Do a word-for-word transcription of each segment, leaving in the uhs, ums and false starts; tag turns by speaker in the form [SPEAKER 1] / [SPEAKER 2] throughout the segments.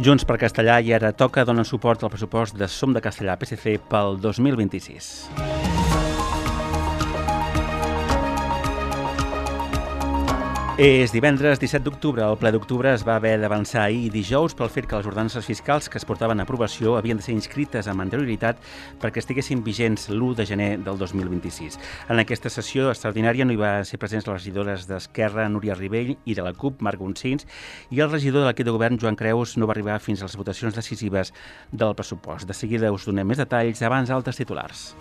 [SPEAKER 1] Junts per Castellà i Ara Toca donen suport al pressupost de Som de Castellà P S C pel dos mil vint-i-sis. És divendres disset d'octubre. El ple d'octubre es va haver d'avançar ahir dijous pel fet que les ordenances fiscals que es portaven a aprovació havien de ser inscrites amb anterioritat perquè estiguessin vigents l'u de gener del dos mil vint-i-sis. En aquesta sessió extraordinària no hi va ser presents les regidores d'Esquerra, Núria Ribell, i de la CUP, Marc Gonçins, i el regidor de l'equip de govern, Joan Creus, no va arribar fins a les votacions decisives del pressupost. De seguida us donem més detalls, abans altres titulars.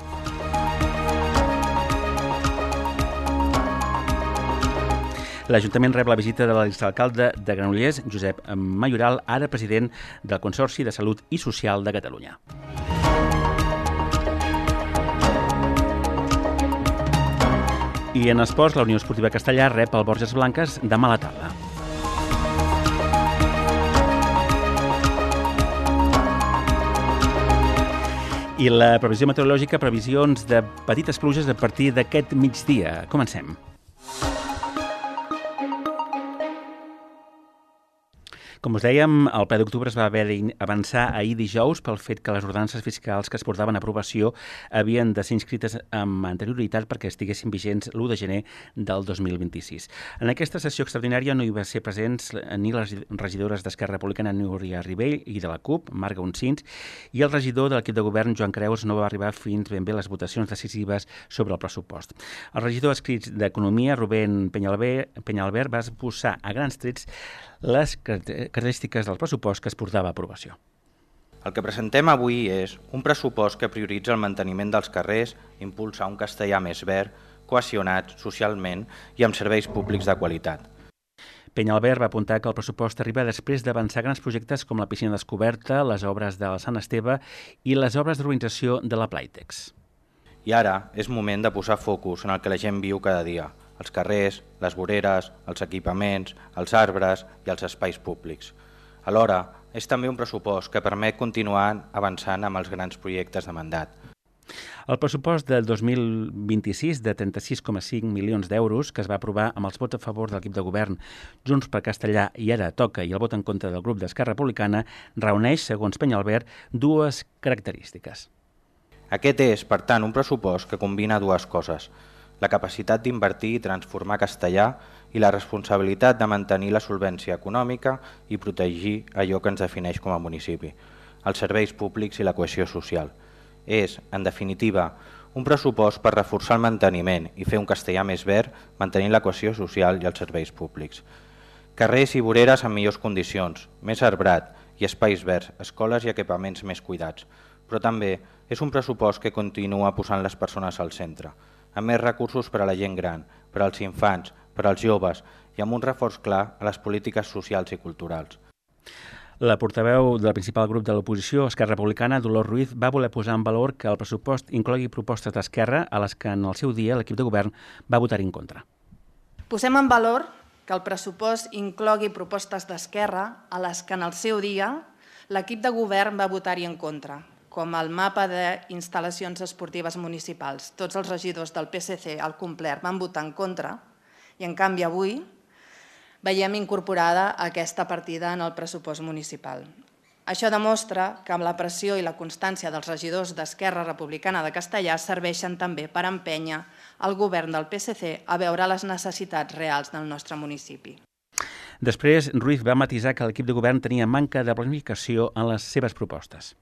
[SPEAKER 1] L'Ajuntament rep la visita de l'exalcalde de Granollers, Josep Mayoral, ara president del Consorci de Salut i Social de Catalunya. I en esports, la Unió Esportiva Castellà rep el Borges Blanques demà a la tarda. I la previsió meteorològica, previsions de petites pluges a partir d'aquest migdia. Comencem. Com us dèiem, el ple d'octubre es va haver d'avançar ahir dijous pel fet que les ordenances fiscals que es portaven a aprovació havien de ser inscrites amb anterioritat perquè estiguessin vigents l'u de gener del dos mil vint-i-sis. En aquesta sessió extraordinària no hi va ser presents ni les regidores d'Esquerra Republicana, Núria Ribell, i de la CUP, Marc Gonçins, i el regidor de l'equip de govern, Joan Creus, no va arribar fins ben bé les votacions decisives sobre el pressupost. El regidor adscrit d'Economia, Rubén Penyalbert, va exposar a grans trets les característiques del pressupost que es portava a aprovació.
[SPEAKER 2] El que presentem avui és un pressupost que prioritza el manteniment dels carrers, impulsar un castellà més verd, cohesionat socialment i amb serveis públics de qualitat.
[SPEAKER 1] Penyalbert va apuntar que el pressupost arriba després d'avançar grans projectes com la piscina descoberta, les obres del Sant Esteve i les obres d'urbanització de la Playtex.
[SPEAKER 2] I ara és moment de posar focus en el que la gent viu cada dia, els carrers, les voreres, els equipaments, els arbres i els espais públics. Alhora, és també un pressupost que permet continuar avançant amb els grans projectes de mandat.
[SPEAKER 1] El pressupost del dos mil vint-i-sis de trenta-sis coma cinc milions d'euros que es va aprovar amb els vots a favor de l'equip de govern Junts per Castellà i Ara Toca i el vot en contra del grup d'Esquerra Republicana reuneix, segons Penyalbert, dues característiques.
[SPEAKER 2] Aquest és, per tant, un pressupost que combina dues coses: la capacitat d'invertir i transformar Castellà i la responsabilitat de mantenir la solvència econòmica i protegir allò que ens defineix com a municipi, els serveis públics i la cohesió social. És, en definitiva, un pressupost per reforçar el manteniment i fer un Castellà més verd, mantenint la cohesió social i els serveis públics. Carrers i voreres en millors condicions, més arbrat i espais verds, escoles i equipaments més cuidats. Però també és un pressupost que continua posant les persones al centre, amb més recursos per a la gent gran, per als infants, per als joves i amb un reforç clar a les polítiques socials i culturals.
[SPEAKER 1] La portaveu del principal grup de l'oposició, Esquerra Republicana, Dolors Ruiz, va voler posar en valor que el pressupost inclogui propostes d'Esquerra a les que en el seu dia l'equip de govern va votar en contra.
[SPEAKER 3] Posem en valor que el pressupost inclogui propostes d'Esquerra a les que en el seu dia l'equip de govern va votar-hi en contra, com el mapa d'instal·lacions esportives municipals. Tots els regidors del P S C al complet van votar en contra i, en canvi, avui veiem incorporada aquesta partida en el pressupost municipal. Això demostra que amb la pressió i la constància dels regidors d'Esquerra Republicana de Castellà serveixen també per empènyer el govern del P S C a veure les necessitats reals del nostre municipi.
[SPEAKER 1] Després, Ruiz va matisar que l'equip de govern tenia manca de planificació en les seves propostes.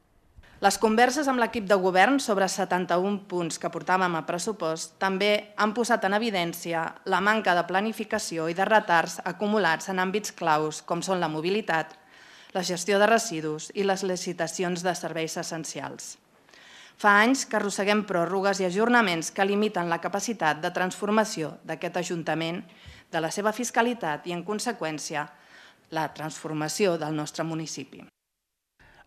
[SPEAKER 3] Les converses amb l'equip de govern sobre setanta-un punts que portàvem a pressupost també han posat en evidència la manca de planificació i de retards acumulats en àmbits claus com són la mobilitat, la gestió de residus i les licitacions de serveis essencials. Fa anys que arrosseguem pròrrogues i ajornaments que limiten la capacitat de transformació d'aquest Ajuntament, de la seva fiscalitat i, en conseqüència, la transformació del nostre municipi.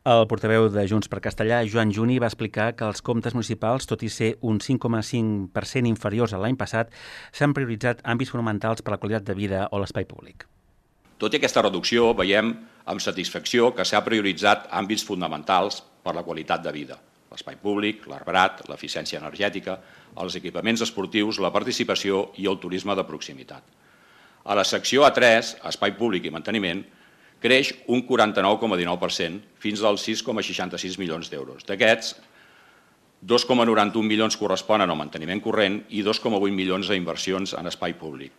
[SPEAKER 1] El portaveu de Junts per Castellà, Joan Juni, va explicar que els comptes municipals, tot i ser un cinc coma cinc per cent inferiors a l'any passat, s'han prioritzat àmbits fonamentals per a la qualitat de vida o l'espai públic.
[SPEAKER 4] Tot i aquesta reducció, veiem amb satisfacció que s'ha prioritzat àmbits fonamentals per la qualitat de vida: l'espai públic, l'arbrat, l'eficiència energètica, els equipaments esportius, la participació i el turisme de proximitat. A la secció A tres, Espai públic i manteniment, creix un quaranta-nou coma dinou per cent fins als sis coma seixanta-sis milions d'euros. D'aquests, dos coma noranta-un milions corresponen al manteniment corrent i dos coma vuit milions a inversions en espai públic.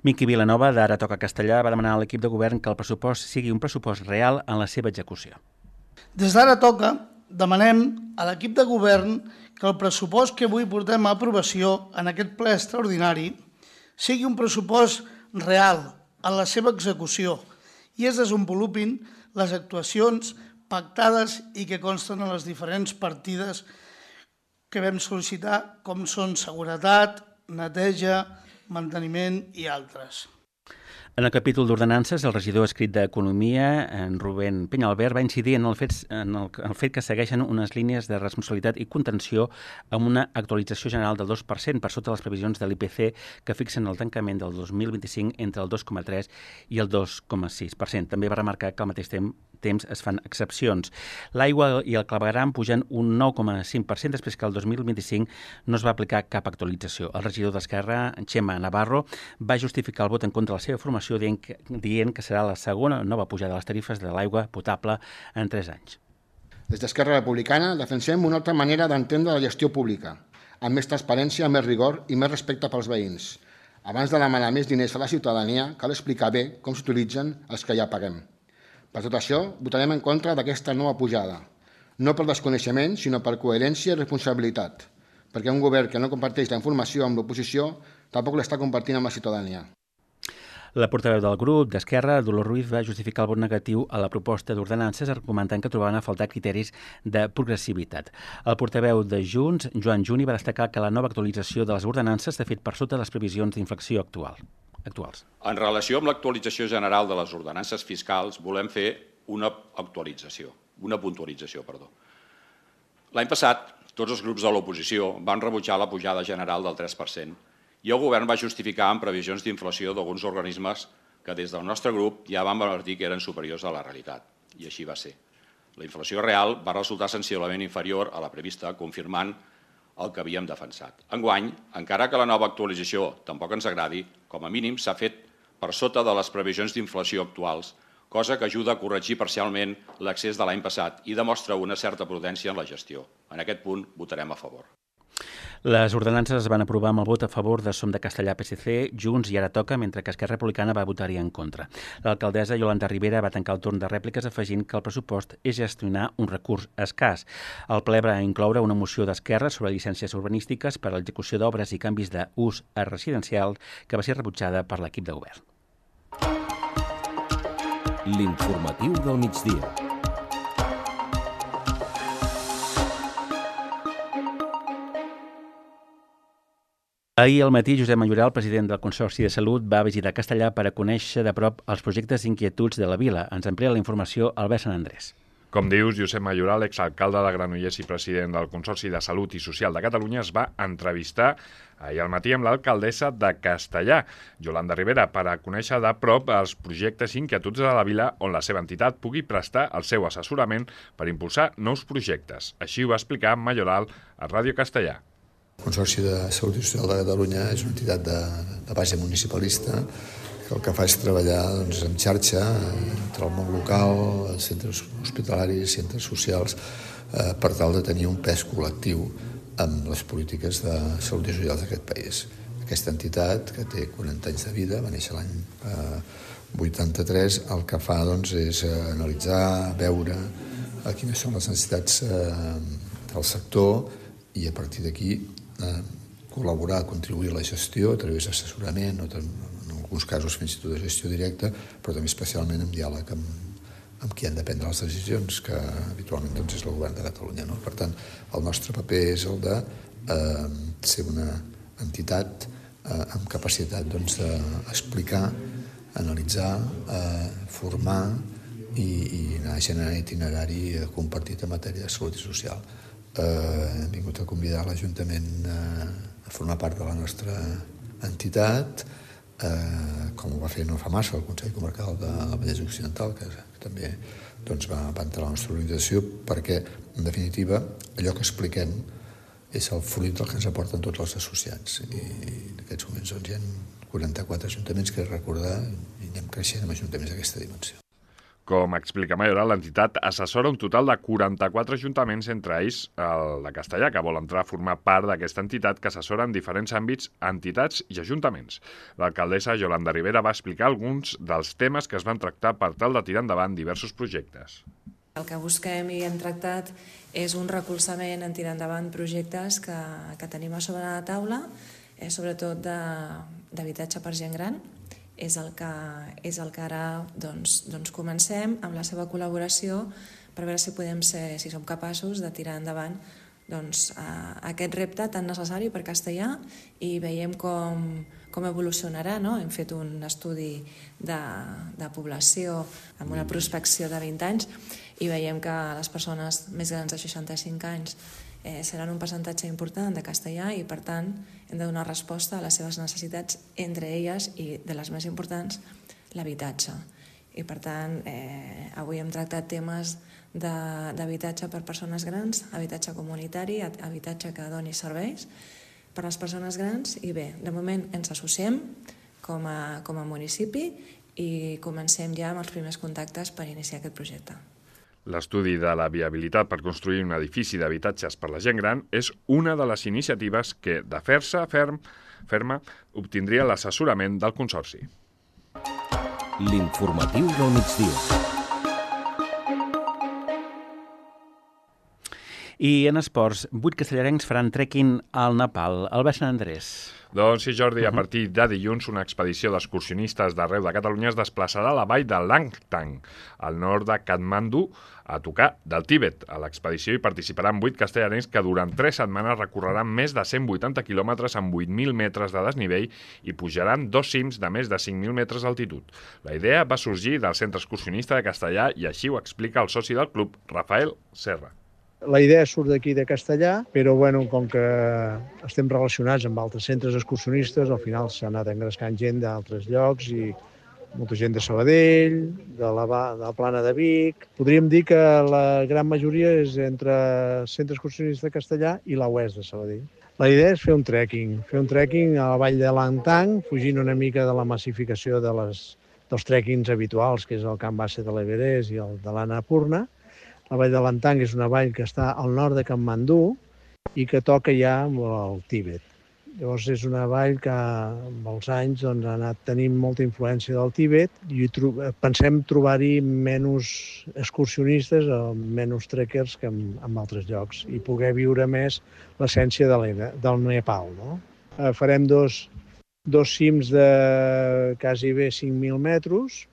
[SPEAKER 1] Miqui Vilanova, d'Ara Toca Castellà, va demanar a l'equip de govern que el pressupost sigui un pressupost real en la seva execució.
[SPEAKER 5] Des d'Ara Toca demanem a l'equip de govern que el pressupost que avui portem a aprovació en aquest ple extraordinari sigui un pressupost real en la seva execució i es desenvolupin les actuacions pactades i que consten en les diferents partides que vam sol·licitar, com són seguretat, neteja, manteniment i altres.
[SPEAKER 1] En el capítol d'ordenances, el regidor escrit d'Economia, en Rubén Penyalbert, va incidir en el fet, en el, el fet que segueixen unes línies de responsabilitat i contenció amb una actualització general del dos per cent per sota les previsions de l'I P C que fixen el tancament del dos mil vint-i-cinc entre el dos coma tres i el dos coma sis per cent. També va remarcar que al mateix temps temps es fan excepcions. L'aigua i el clavegueram pugen un nou coma cinc per cent després que el dos mil vint-i-cinc no es va aplicar cap actualització. El regidor d'Esquerra, Xema Navarro, va justificar el vot en contra de la seva formació dient que, dient que serà la segona nova pujada de les tarifes de l'aigua potable en tres anys.
[SPEAKER 6] Des d'Esquerra Republicana defensem una altra manera d'entendre la gestió pública, amb més transparència, més rigor i més respecte pels veïns. Abans de demanar més diners a la ciutadania, cal explicar bé com s'utilitzen els que ja paguem. Per tot això, votarem en contra d'aquesta nova pujada, no per desconeixement, sinó per coherència i responsabilitat, perquè un govern que no comparteix la informació amb l'oposició tampoc l'està compartint amb la ciutadania.
[SPEAKER 1] La portaveu del grup d'Esquerra, Dolors Ruiz, va justificar el vot negatiu a la proposta d'ordenances argumentant que trobaven a faltar criteris de progressivitat. El portaveu de Junts, Joan Juni, va destacar que la nova actualització de les ordenances s'ha fet per sota les previsions d'inflació actual. actuals.
[SPEAKER 4] En relació amb l'actualització general de les ordenances fiscals, volem fer una actualització, una puntualització, perdó. L'any passat, tots els grups de l'oposició van rebutjar la pujada general del tres per cent i el govern va justificar amb previsions d'inflació d'alguns organismes que des del nostre grup ja van advertir que eren superiors a la realitat, i així va ser. La inflació real va resultar sensiblement inferior a la prevista, confirmant el que havíem defensat. Enguany, encara que la nova actualització tampoc ens agradi, com a mínim s'ha fet per sota de les previsions d'inflació actuals, cosa que ajuda a corregir parcialment l'excés de l'any passat i demostra una certa prudència en la gestió. En aquest punt votarem a favor.
[SPEAKER 1] Les ordenances es van aprovar amb el vot a favor de Som de Castellà, P S C, Junts i Ara Toca, mentre que Esquerra Republicana va votar-hi en contra. L'alcaldessa Yolanda Rivera va tancar el torn de rèpliques afegint que el pressupost és gestionar un recurs escàs. El ple va incloure una moció d'Esquerra sobre llicències urbanístiques per a l'execució d'obres i canvis d'ús a residencial que va ser rebutjada per l'equip de govern.
[SPEAKER 7] L'informatiu del migdia.
[SPEAKER 1] Ahir al matí, Josep Mayoral, president del Consorci de Salut, va visitar Castellà per a conèixer de prop els projectes i inquietuds de la vila. Ens amplia la informació Albert Sant Andrés.
[SPEAKER 8] Com dius, Josep Mayoral, exalcalde de Granollers i president del Consorci de Salut i Social de Catalunya, es va entrevistar ahir al matí amb l'alcaldessa de Castellà, Yolanda Rivera, per a conèixer de prop els projectes i inquietuds de la vila on la seva entitat pugui prestar el seu assessorament per impulsar nous projectes. Així ho va explicar Mayoral a Ràdio Castellà.
[SPEAKER 9] El Consorci de Salut i Social de Catalunya és una entitat de, de base municipalista que el que fa és treballar doncs, en xarxa entre el món local, els centres hospitalaris, centres socials, eh, per tal de tenir un pes col·lectiu amb les polítiques de salut i socials d'aquest país. Aquesta entitat, que té quaranta anys de vida, va néixer l'any eh, vuitanta-tres, el que fa doncs, és eh, analitzar, veure eh, quines són les necessitats eh, del sector i a partir d'aquí eh, col·laborar, contribuir a la gestió a través d'assessorament, o en alguns casos fins i tot de gestió directa, però també especialment en diàleg amb, amb qui han de prendre les decisions, que habitualment doncs, és el govern de Catalunya. No? Per tant, el nostre paper és el de eh, ser una entitat eh, amb capacitat doncs, d'explicar, analitzar, eh, formar i, i anar generant itinerari compartit en matèria de salut i social. Eh, hem vingut a convidar l'Ajuntament eh, a formar part de la nostra entitat, eh, com ho va fer no fa massa el Consell Comarcal de la Vallès Occidental, que, que també doncs, va, va entrar a la nostra organització, perquè, en definitiva, allò que expliquem és el fruit del que ens aporten tots els associats. I en aquests moments doncs, hi ha quaranta-quatre ajuntaments que recordar i anem creixent amb ajuntaments d'aquesta dimensió.
[SPEAKER 8] Com explica Mayoral, l'entitat assessora un total de quaranta-quatre ajuntaments, entre ells el de Castellar, que vol entrar a formar part d'aquesta entitat que assessora en diferents àmbits, entitats i ajuntaments. L'alcaldessa Yolanda Rivera va explicar alguns dels temes que es van tractar per tal de tirar endavant diversos projectes.
[SPEAKER 10] El que busquem i hem tractat és un recolzament en tirar endavant projectes que, que tenim a sobre la taula, eh, sobretot d'habitatge per gent gran. És el que, és el que ara doncs, doncs comencem amb la seva col·laboració per veure si podem ser, si som capaços de tirar endavant doncs, a, aquest repte tan necessari per Castellar i veiem com, com evolucionarà. No? Hem fet un estudi de, de població amb una prospecció de vint anys i veiem que les persones més grans de seixanta-cinc anys Eh, seran un percentatge important de Castellar i, per tant, hem de donar resposta a les seves necessitats, entre elles, i de les més importants, l'habitatge. I, per tant, eh, avui hem tractat temes d'habitatge per persones grans, habitatge comunitari, habitatge que doni serveis per a les persones grans i, bé, de moment ens associem com a, com a municipi i comencem ja amb els primers contactes per iniciar aquest projecte.
[SPEAKER 8] L'estudi de la viabilitat per construir un edifici d'habitatges per la gent gran és una de les iniciatives que, de fer-se ferm, ferma, obtindria l'assessorament del Consorci.
[SPEAKER 7] L'informatiu del migdia.
[SPEAKER 1] I en esports, vuit castellarencs faran trekking al Nepal, al baix Sant Andrés.
[SPEAKER 8] Doncs sí, Jordi, a partir de dilluns una expedició d'excursionistes d'arreu de Catalunya es desplaçarà a la vall de Langtang, al nord de Katmandú, a tocar del Tíbet. A l'expedició hi participaran vuit castellarencs que durant tres setmanes recorreran més de cent vuitanta quilòmetres amb vuit mil metres de desnivell i pujaran dos cims de més de cinc mil metres d'altitud. La idea va sorgir del Centre Excursionista de Castellar i així ho explica el soci del club, Rafael Serra.
[SPEAKER 11] La idea surt d'aquí de Castellar, però bueno, com que estem relacionats amb altres centres excursionistes, al final s'ha anat engrescant gent d'altres llocs i molta gent de Sabadell, de la, de la Plana de Vic. Podríem dir que la gran majoria és entre el Centre Excursionista de Castellar i la U E S de Sabadell. La idea és fer un trekking, fer un trekking a la vall de Langtang, fugint una mica de la massificació de les, dels trekkings habituals, que és el Camp Base de l'Everest i el de l'Annapurna. La vall de Langtang és una vall que està al nord de Katmandú i que toca ja al Tíbet. Llavors és una vall que amb els anys doncs, ha anat tenint molta influència del Tíbet i tro pensem trobar-hi menys excursionistes o menys trekkers que en, en altres llocs i poder viure més l'essència de del Nepal. No? Eh, farem dos, dos cims de quasi bé cinc mil metres,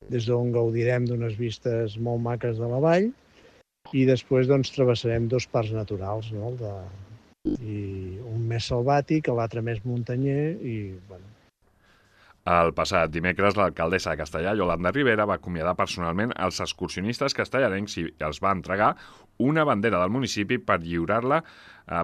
[SPEAKER 11] des d'on gaudirem d'unes vistes molt maques de la vall, i després doncs, travessarem dos parcs naturals, no? de, i un més selvàtic, l'altre més muntanyer. I, bueno.
[SPEAKER 8] El passat dimecres, l'alcaldessa de Castellar, Yolanda Rivera, va acomiadar personalment els excursionistes castellarencs i els va entregar una bandera del municipi per lliurar-la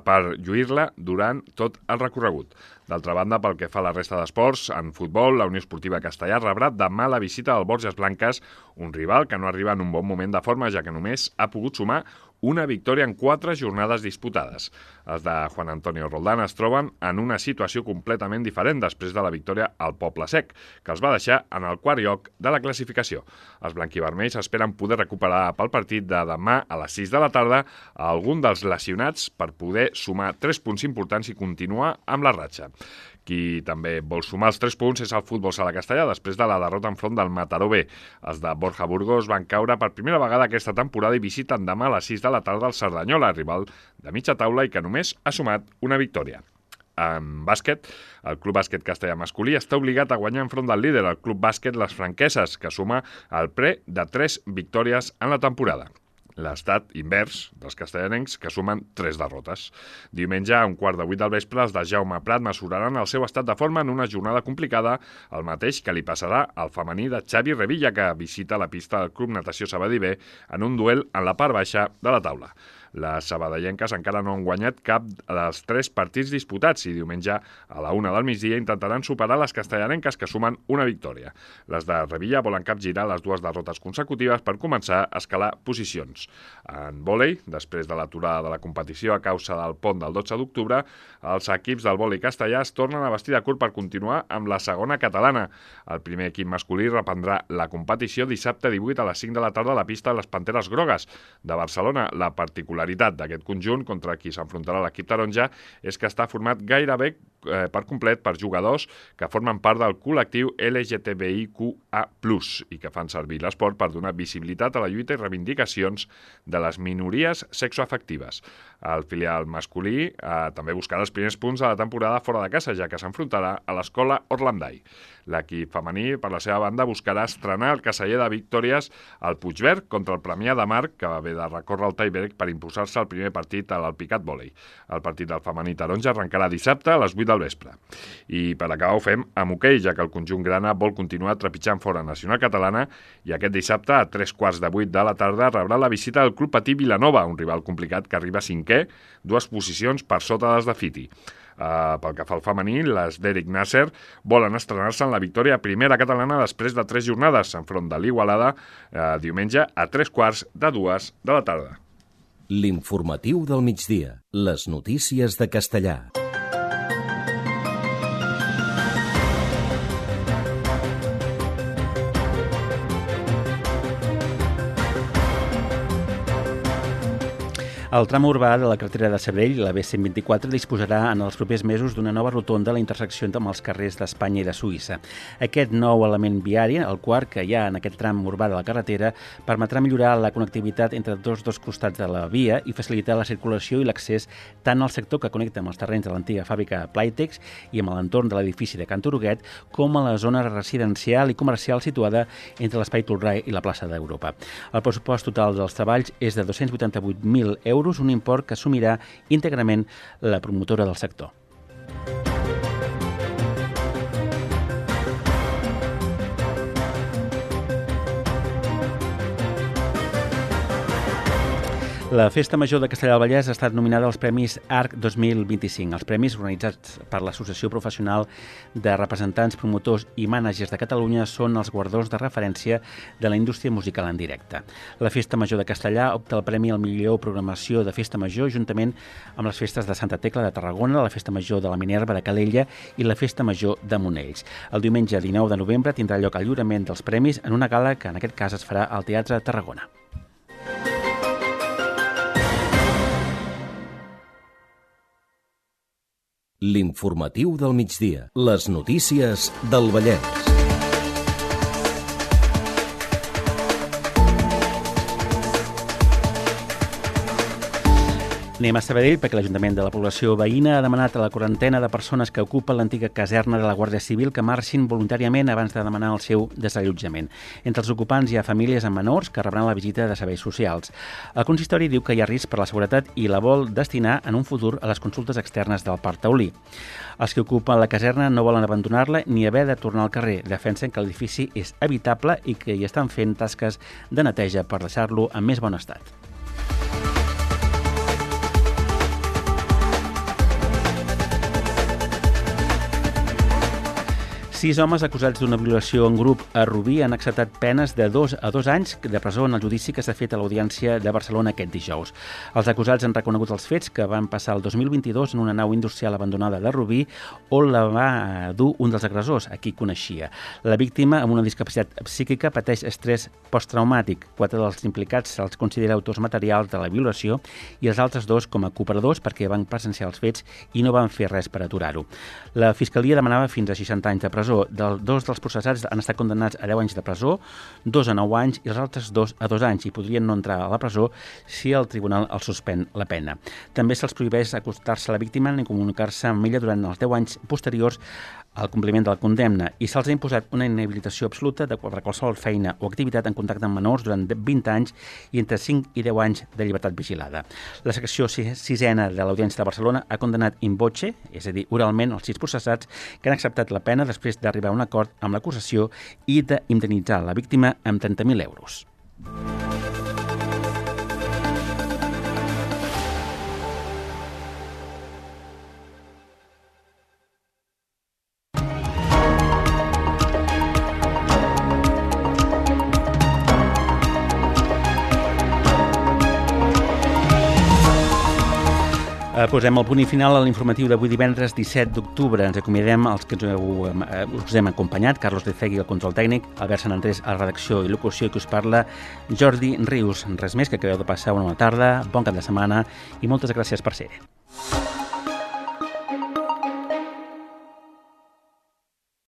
[SPEAKER 8] per lluir-la durant tot el recorregut. D'altra banda, pel que fa a la resta d'esports, en futbol, la Unió Esportiva Castellar rebrà demà la visita del Borges Blanques, un rival que no arriba en un bon moment de forma, ja que només ha pogut sumar una victòria en quatre jornades disputades. Els de Juan Antonio Roldán es troben en una situació completament diferent després de la victòria al Poble Sec, que els va deixar en el quart lloc de la classificació. Els blanquivermells esperen poder recuperar pel partit de demà a les sis de la tarda a algun dels lesionats per poder sumar tres punts importants i continuar amb la ratxa. Qui també vol sumar els tres punts és el Futbol Sala Castellar després de la derrota enfront del Mataró B. Els de Borja Burgos van caure per primera vegada aquesta temporada i visiten demà a les sis de la tarda el Cerdanyola, rival de mitja taula i que només ha sumat una victòria. En bàsquet, el Club Bàsquet Castellar masculí està obligat a guanyar enfront del líder, el Club Bàsquet Les Franqueses, que suma el pre de tres victòries en la temporada. L'estat invers dels castellanencs, que sumen tres derrotes. Diumenge, a un quart de vuit del vespre, els de Jaume Prat mesuraran el seu estat de forma en una jornada complicada, el mateix que li passarà al femení de Xavi Revilla, que visita la pista del Club Natació Sabadell B en un duel en la part baixa de la taula. Les sabadellenques encara no han guanyat cap dels tres partits disputats i diumenge a la una del migdia intentaran superar les castellarenques, que sumen una victòria. Les de Revilla volen capgirar les dues derrotes consecutives per començar a escalar posicions. En vòlei, després de l'aturada de la competició a causa del pont del dotze d'octubre, els equips del vòlei castellà es tornen a vestir de curt per continuar amb la segona catalana. El primer equip masculí reprendrà la competició dissabte divuit a les cinc de la tarda a la pista de les Panteres Grogues de Barcelona. La particularitat d'aquest conjunt contra qui s'enfrontarà l'equip taronja és que està format gairebé eh, per complet per jugadors que formen part del col·lectiu L G T B I Q A plus, i que fan servir l'esport per donar visibilitat a la lluita i reivindicacions de les minories sexoafectives. El filial masculí eh, també buscarà els primers punts de la temporada fora de casa, ja que s'enfrontarà a l'escola Orlandai. L'equip femení, per la seva banda, buscarà estrenar el caseller de victòries al Puigverd contra el Premià de Mar, que va haver de recórrer el tie-break per imposar-se al primer partit a l'Alpicat Vòlei. El partit del femení taronja arrencarà dissabte a les vuit del vespre. I per acabar ho fem amb hoquei, ja que el conjunt grana vol continuar trepitjant fora Nacional Catalana, i aquest dissabte, a tres quarts de vuit de la tarda, rebrà la visita del Club Patí Vilanova, un rival complicat que arriba cinquè, dues posicions per sota dels de Fiti. Uh, pel que fa al femení, les d'Eric Nasser volen estrenar-se en la victòria primera catalana després de tres jornades enfront de l'Igualada uh, diumenge a tres quarts de dues de la tarda.
[SPEAKER 7] L'informatiu del migdia. Les notícies de Castellà.
[SPEAKER 1] El tram urbà de la carretera de Sabadell, la B cent vint-i-quatre, disposarà en els propers mesos d'una nova rotonda a la intersecció amb els carrers d'Espanya i de Suïssa. Aquest nou element viari, el quart que hi ha en aquest tram urbà de la carretera, permetrà millorar la connectivitat entre tots dos costats de la via i facilitar la circulació i l'accés tant al sector que connecta amb els terrenys de l'antiga fàbrica Playtex i amb l'entorn de l'edifici de Can Turuguet, com a la zona residencial i comercial situada entre l'Espai Tolrai i la plaça d'Europa. El pressupost total dels treballs és de dos-cents vuitanta-vuit mil euros, un import que assumirà íntegrament la promotora del sector. La Festa Major de Castellar del Vallès ha estat nominada als Premis Arc dos mil vint-i-cinc. Els premis, organitzats per l'Associació Professional de Representants, Promotors i Mànagers de Catalunya, són els guardons de referència de la indústria musical en directe. La Festa Major de Castellar opta al Premi al millor programació de Festa Major, juntament amb les festes de Santa Tecla de Tarragona, la Festa Major de la Minerva de Calella i la Festa Major de Monells. El diumenge dinou de novembre tindrà lloc el lliurament dels premis en una gala que en aquest cas es farà al Teatre Tarragona.
[SPEAKER 7] L'informatiu del migdia. Les notícies del Vallès.
[SPEAKER 1] Anem a Sabadell perquè l'Ajuntament de la població veïna ha demanat a la quarantena de persones que ocupen l'antiga caserna de la Guàrdia Civil que marxin voluntàriament abans de demanar el seu desallotjament. Entre els ocupants hi ha famílies amb menors que rebran la visita de serveis socials. El consistori diu que hi ha risc per la seguretat i la vol destinar en un futur a les consultes externes del Parc Taulí. Els que ocupen la caserna no volen abandonar-la ni haver de tornar al carrer. Defensen que l'edifici és habitable i que hi estan fent tasques de neteja per deixar-lo en més bon estat. Sis homes acusats d'una violació en grup a Rubí han acceptat penes de dos a dos anys de presó en el judici que s'ha fet a l'Audiència de Barcelona aquest dijous. Els acusats han reconegut els fets que van passar el dos mil vint-i-dos en una nau industrial abandonada de Rubí on la va dur un dels agressors, a qui coneixia. La víctima, amb una discapacitat psíquica, pateix estrès posttraumàtic. Quatre dels implicats se'ls considera autors materials de la violació i els altres dos com a cooperadors perquè van presenciar els fets i no van fer res per aturar-ho. La Fiscalia demanava fins a seixanta anys de presó. Dos dels processats han estat condemnats a deu anys de presó, dos a nou anys i els altres dos a dos anys i podrien no entrar a la presó si el tribunal els suspèn la pena. També se'ls prohibeix acostar-se a la víctima ni comunicar-se amb ella durant els deu anys posteriors al compliment de la condemna i se'ls ha imposat una inhabilitació absoluta de qualsevol feina o activitat en contacte amb menors durant vint anys i entre cinc i deu anys de llibertat vigilada. La secció sisena de l'Audiència de Barcelona ha condemnat in voce, és a dir, oralment, els sis processats que han acceptat la pena després d'arribar a un acord amb l'acusació i d'indemnitzar la víctima amb trenta mil euros. Posem el punt i final a l'informatiu d'avui divendres disset d'octubre. Ens acomiadem els que ens heu, eh, us hem acompanyat. Carlos de Cegui, el control tècnic, Albert Sant Andrés, a la redacció i locució, i que us parla Jordi Rius. Res més, que acabeu de passar una bona tarda, bon cap de setmana i moltes gràcies per ser-hi.